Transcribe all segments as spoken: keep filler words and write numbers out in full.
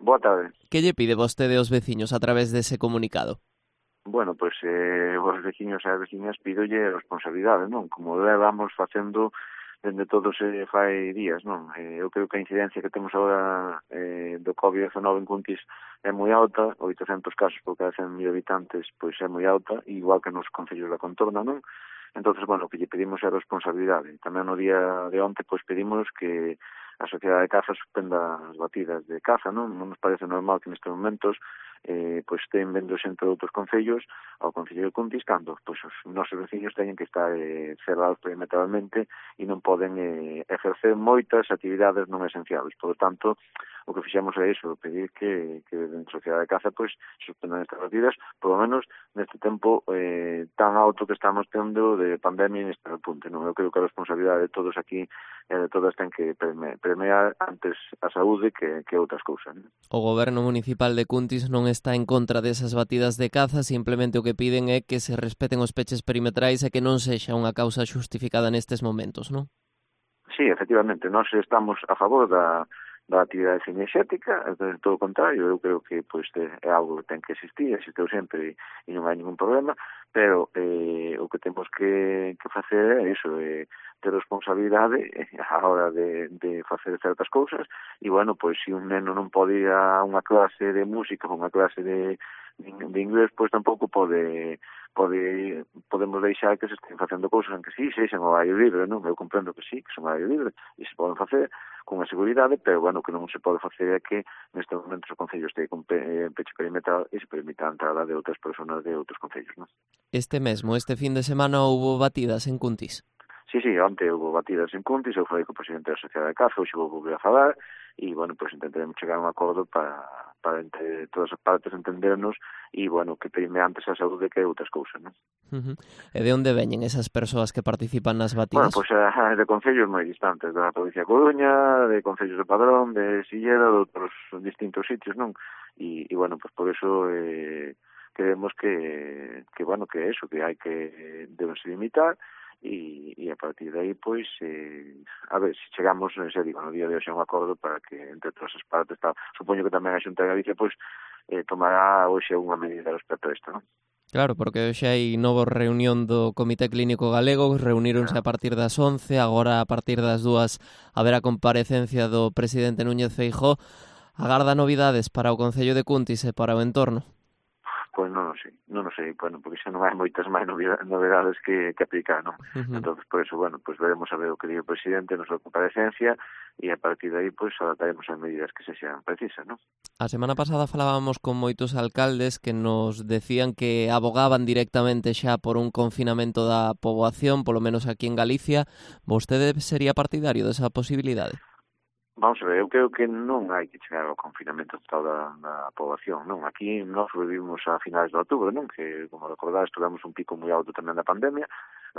Boa tarde. Que lle pide vostede aos veciños a través dese comunicado? Bueno, pois eh, os veciños e as veciñas pídolle responsabilidade, non? Como vamos facendo dende todos se fai días, non? Eh, eu creo que a incidencia que temos agora eh, do covid diecinueve en Cuntis é moi alta, oitocentos casos por cada cen mil habitantes, pois é moi alta, igual que nos concellos da contorna, non? Entonces, bueno, o que lle pedimos é responsabilidade. Tamén no día de onte, pois pedimos que a Sociedade de Caza suspenda as batidas de caza, non? Non nos parece normal que nestes momentos eh, pois estén vendo xente de outros concellos ao Concello de Cuntis cando pois, os nosos veciños teñen que estar eh, cerrados perimetralmente e non poden eh, exercer moitas actividades non esenciales. Por lo tanto, o que fixemos é iso, pedir que, que dentro da Sociedade de Caza pois, suspendan estas batidas, por lo menos neste tempo eh, tan alto que estamos tendo de pandemia neste repunte. Non? Eu creo que a responsabilidade de todos aquí e de todas ten que premiar, premiar antes a saúde que, que outras cousas. Non? O Goberno Municipal de Cuntis non está en contra desas batidas de caza, simplemente o que piden é que se respeten os peches perimetrais e que non sexa unha causa xustificada nestes momentos, non? Sí, efectivamente, nós estamos a favor da da actividade cinexética, de todo o contrario, eu creo que pois é algo que ten que existir, existiu sempre e non hai ningún problema, pero eh, o que temos que, que facer é iso, é ter responsabilidade a hora de, de facer certas cousas, e bueno, pois se un neno non pode ir a unha clase de música ou unha clase de, de inglés, pois tampouco pode pode podemos deixar que se estén facendo cousas en que sí, sexan ao aire libre, non? Eu comprendo que sí, que son ao aire libre, e se poden facer con a seguridade, pero, bueno, que non se pode facer é que neste momento o Concello este con pe, peche perimetral e se permita a entrada de outras persoas de outros concellos, non? Este mesmo, este fin de semana houbo batidas en Cuntis. Sí, sí, onte houve batidas en Cuntis, eu falei co presidente da Sociedade de Caza, hoxe vou volver a falar, e, bueno, pois pues, intentaremos chegar a un acordo para, para entre todas as partes entendernos e, bueno, que prime antes a saúde que outras cousas, non? Uh-huh. E de onde veñen esas persoas que participan nas Bueno, batidas? pois pues, uh, de concellos moi distantes, da provincia de Coruña, de concellos de Padrón, de Silleda, de outros distintos sitios, non? E, e bueno, pois pues por eso eh, creemos que, que, bueno, que eso, que hai que debense limitar, e, e a partir de aí, pois, eh, a ver, se chegamos, se digo, no día de hoxe a un acordo para que entre todas as partes, tal, supoño que tamén a Xunta de Galicia, pois, eh, tomará hoxe unha medida respecto a isto, non? Claro, porque hoxe hai novo reunión do Comité Clínico Galego, reuníronse a partir das once, agora a partir das dúas haberá comparecencia do presidente Núñez Feijóo. Agarda novidades para o Concello de Cuntis e para o entorno? Pois non o sei, non o sei, bueno, porque xa non hai moitas máis novedades que, que aplicar, non? Uh-huh. Entón, por eso, bueno, pues veremos a ver o que diga o presidente na súa comparecencia e a partir de aí, pues, adaptaremos as medidas que se sean precisas, non? A semana pasada falábamos con moitos alcaldes que nos decían que abogaban directamente xa por un confinamento da poboación, polo menos aquí en Galicia. Vostede sería partidario desa posibilidade? Vamos a ver, eu creo que non hai que chegar ao confinamento total da, da poboación, non? Aquí nós vivimos a finais de outubro, non? Que, como recordades, tuvemos un pico moi alto tamén da pandemia.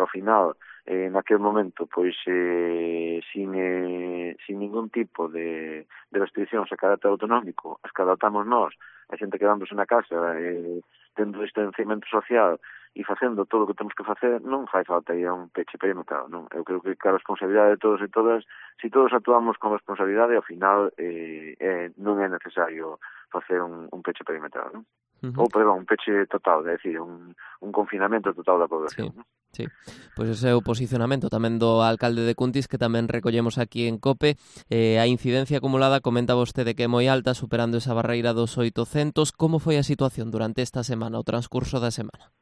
Ao final, eh, naquele momento, pois, eh, sin, eh, sin ningún tipo de, de restriccións a carácter autonómico, as que adaptamos nós, a xente quedándose na casa, eh, tendo distanciamento social e facendo todo o que temos que facer, non fai falta ir a un peche perimetral, non? Eu creo que a responsabilidade de todos e todas, se todos actuamos con responsabilidade, ao final eh, eh, non é necesario facer un, un peche perimetral, non? Uh-huh. Ou, perdón, un peche total, é dicir, un, un confinamento total da población, sí. non? Sí, pois ese é o posicionamento tamén do alcalde de Cuntis, que tamén recollemos aquí en COPE. Eh, a incidencia acumulada, comenta vostede que é moi alta, superando esa barreira dos oitocentos. Como foi a situación durante esta semana, o transcurso da semana?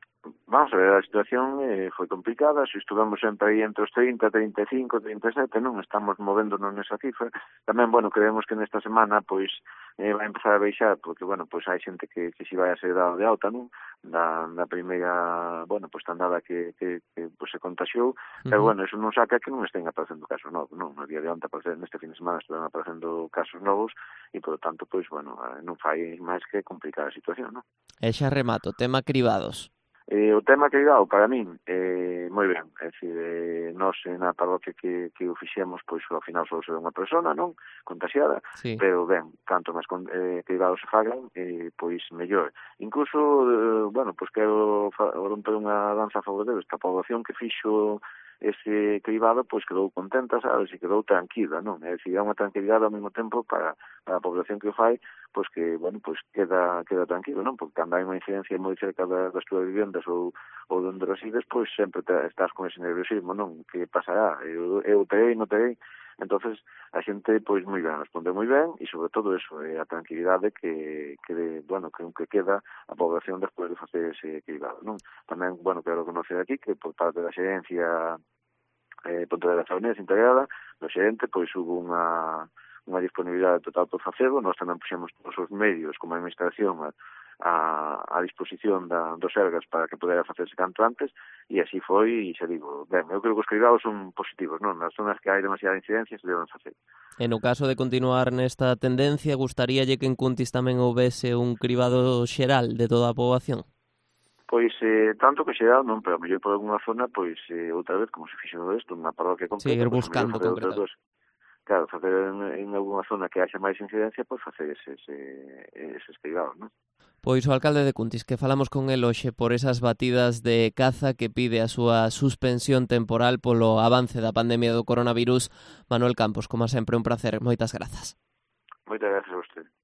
Vamos a ver, a situación eh, foi complicada, se estuvemos sempre aí entre os trinta, trinta e cinco, trinta e sete, non estamos movéndonos nesa cifra. Tamén, bueno, creemos que nesta semana, pois, eh, vai empezar a baixar, porque, bueno, pois hai xente que, que si vai a ser dado de alta, non? Da, da primeira, bueno, pois, tandada que, que, que pois, se contaxiou, uh-huh. Pero, bueno, eso non saca que non estén aparecendo casos novos, non? No día de onte, neste fin de semana, están aparecendo casos novos, e, por lo tanto, pois, bueno, non fai máis que complicar a situación, non? E xa remato, tema cribados. Eh, o tema cribado, para min, eh, moi ben, é dicir, eh, nós na parroquia que, que o fixemos, pois ao final só se ve unha persona, non, contaxiada, sí. Pero ben, canto máis eh, cribados se fagan, eh, pois mellor. Incluso, eh, bueno, pois quero romper unha danza a favor deles, que a poboación que fixo ese cribado pois quedou contenta, sabes, e quedou tranquila, non? É dicir, é unha tranquilidade ao mesmo tempo para, para a población que o fai, pois que, bueno, pois queda queda tranquilo, non? Porque cando hai unha incidencia moi cerca das, das túas vivendas ou, ou onde resides, pois sempre te, estás con ese nerviosismo, non? Que pasará? Eu, eu terei, non terei? Entonces a xente pois moi ben, responde moi ben e sobre todo eso, é a tranquilidade que, que bueno, que, que queda a población despois de facer ese cribado, non? Tamén, bueno, quero conocer aquí que por parte da xerencia eh, Pontevedra Faunés integrada, do xerente, pois hubo unha unha disponibilidade total por facelo, nós tamén puxemos todos os medios como a administración a, a, a disposición da, dos Sergas para que pudera facerse canto antes, e así foi, e xa digo, ben, eu creo que os cribados son positivos, non? Nas zonas que hai demasiada incidencia se deben facer. E no caso de continuar nesta tendencia, gustaríalle que en Cuntis tamén houvese un cribado xeral de toda a poboación? Pois, eh, tanto que xeral non, pero a mellor por alguna zona, pois, eh, outra vez, como se fixo no resto, unha parroquia completa, sí, ir pois, buscando facer concretar. outras dos. Claro, facer en, en alguna zona que haxa máis incidencia, pois facer eses, eh, eses cribados, non? Pois o alcalde de Cuntis, que falamos con el hoxe por esas batidas de caza que pide a súa suspensión temporal polo avance da pandemia do coronavirus. Manuel Campos, como sempre, un placer. Moitas grazas. Moitas grazas a vostede.